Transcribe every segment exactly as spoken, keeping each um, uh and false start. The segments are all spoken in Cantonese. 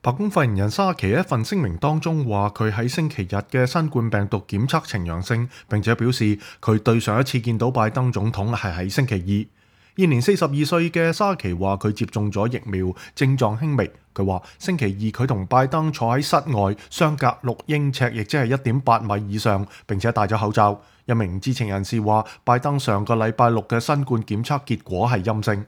白宮發言人沙奇喺一份聲明當中話，佢喺星期日嘅新冠病毒檢測呈陽性，並且表示佢對上一次見到拜登總統係喺星期二。現年四十二歲嘅沙奇話佢接種咗疫苗，症狀輕微。佢話星期二佢同拜登坐喺室外，相隔六英尺，亦即係一點八米以上，並且戴咗口罩。一名知情人士話，拜登上個禮拜六嘅新冠檢測結果係陰性。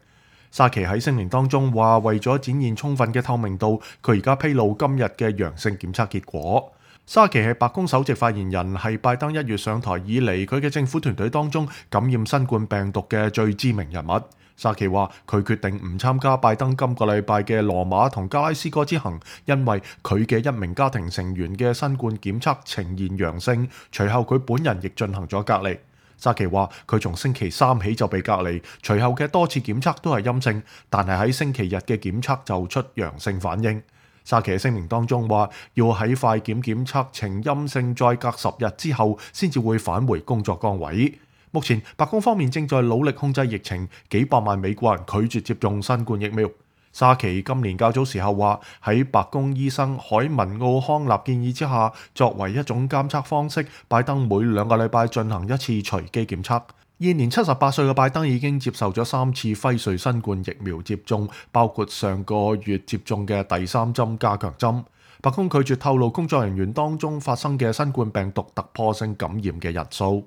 沙奇喺聲明當中話，為咗展現充分嘅透明度，佢而家披露今日嘅陽性檢測結果。沙奇係白宮首席發言人，係拜登一月上台以嚟佢嘅政府團隊當中感染新冠病毒嘅最知名人物。沙奇話佢決定唔參加拜登今個禮拜嘅羅馬同加拉斯哥之行，因為佢嘅一名家庭成員嘅新冠檢測呈現陽性，隨後佢本人亦進行咗隔離。沙奇話佢從星期三起就被隔離，隨後嘅多次檢測都係陰性，但係喺星期日嘅檢測就出陽性反應。沙奇喺聲明當中話，要喺快檢檢測呈陰性，再隔十日之後先至會返回工作崗位。目前白宮方面正在努力控制疫情，幾百萬美國人拒絕接種新冠疫苗。沙奇今年較早時候話，喺白宮醫生海文奧康納建議之下，作為一種監測方式，拜登每兩個禮拜進行一次隨機檢測。現年七十八歲嘅拜登已經接受咗三次輝瑞新冠疫苗接種，包括上個月接種嘅第三針加強針。白宮拒絕透露工作人員當中發生嘅新冠病毒突破性感染嘅人數。